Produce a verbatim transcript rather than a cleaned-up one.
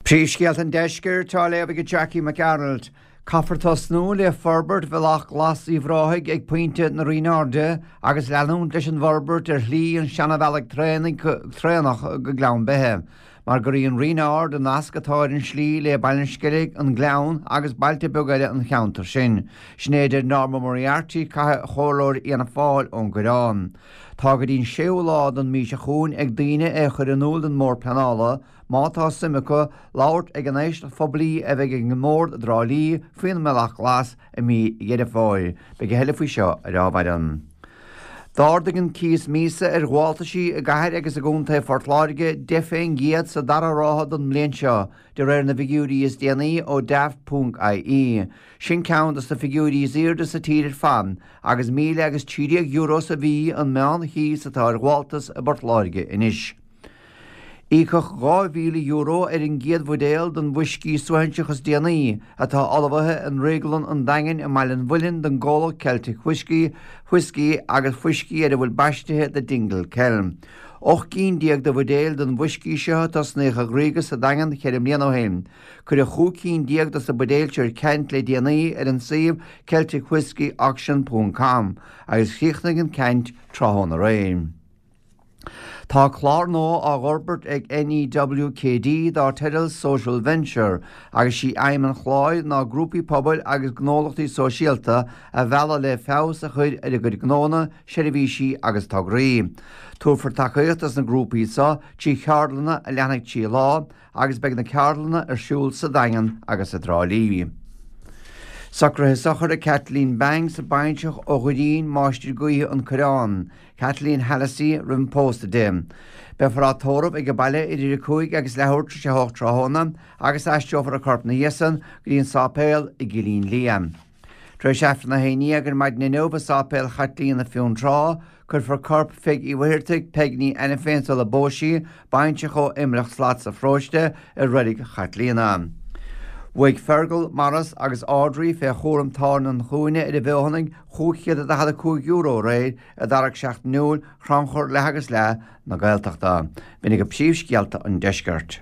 Príomhscéalta an Deiscirt á léamh ag Jackie McArnold. Caithfear tosnú le forbairt Bhealach Glas Uíbh Ráthaigh ag pointe na Rinne Airde agus leanúint leis an bhforbairt ar shlí an seanabhealaigh traenach go Gleann Beithe, mar gur í an Rinn Ard an nasc atá ar an slí le Baile an Sceilg, an Gleann agus bailte beaga eile an cheantair sin. Sin é a deir Norma Moriarty, Comhairleoir Fhianna Fáil ón gCoireán. Tá go dtí an séú lá den mhí seo chugainn ag daoine é a chur in iúl don mBord Pleanála má tá suim acu labhairt ag an éisteacht phoiblí a bheidh ag an mBord i dTrá Lí faoin mBealach Glas i mí Dheireadh Fómhair. Beidh a thuilleadh faoi seo ar ábhar an. D'ardaigh an cíos míosa ar ghabháltaisí i gcathair agus i gContae Phort Láirge deich fén gcéad sa dara ráithe den mbliain seo, de réir na bhfigiúirí is déanaí ó Daft ponc IE. Sin ceann de na figiúirí is airde sa tír ar fad, agus míle agus trí déag euro sa mhí an meán-chíos atá ar ghabháltas i bPort Láirge anois. Íocadh dhá mhíle euro ar an gcéad bhuidéal den bhfuiscí suaithinseach is déanaí atá ullmhaithe i nDrioglann an Daingin i mBaile an Mhuilinn don gcomhlacht Celtic Whiskey, Whiskey agus fuiscí ar a bhfuil baistithe The Dingle Kel. Ocht gcinn déag de bhuidéil den bhfuiscí seo a tosnaíodh a dhriogadh sa Daingean ceithre mbliana ó shin. Cuireadh chúig cinn déag de na buidéil seo ar ceant le déanaí ar an suíomh celticwhiskeyauction ponc com agus chríochnaigh an ceant tráthnóna aréir. Tá clár nua á fhorbairt ag NEWKD dar teideal Social Venture agus sí aidhm an chláir ná grúpaí pobail agus gnólachtaí sóisialta a mhealladh le feabhas a chur ar a gcuid gnónna, seirbhísí agus tograí. Tabharfar tacaíocht dos na grúpaí seo trí cheardlanna a leanfaidh trí lá agus beidh na ceardlanna ar siúl sa Daingean agus i dTrá Lí. Socruithe sochraide Kathleen Banks, baintreach ó Dhoirín, Máistir Gaoithe an Coireán, Kathleen Hallisey roimh an pósadh di. Beifear á tórramh ag an baile idir a cúig agus leathuair tar éis a hocht tráthnóna agus aistreofar a corp ina dhiaidh san go dtí an sáipéal i gCillín Liath. Tar éis Aifreann a haon déag ar maidin inniu i Sáipéal Chaitlíona Fionntrá, cuirfear corp Pheig Uí Mhuircheartaigh, Peig Ní Ainiféin sula bpós sí, baintreach ó Imleach Slat sa Pharóiste, i Reilig Chaitlíona. Bhuaigh Fergal, Maurice agus Audrey fé chúram tábhairne an Chúinne ar an bhFeothanaigh chúig chéad is daichead a cúig euro aréir i dtarrac seachtainiúil Chrannchur Leath agus Leath na Gaeltachta. B'in iad príomhscéalta an deiscirt.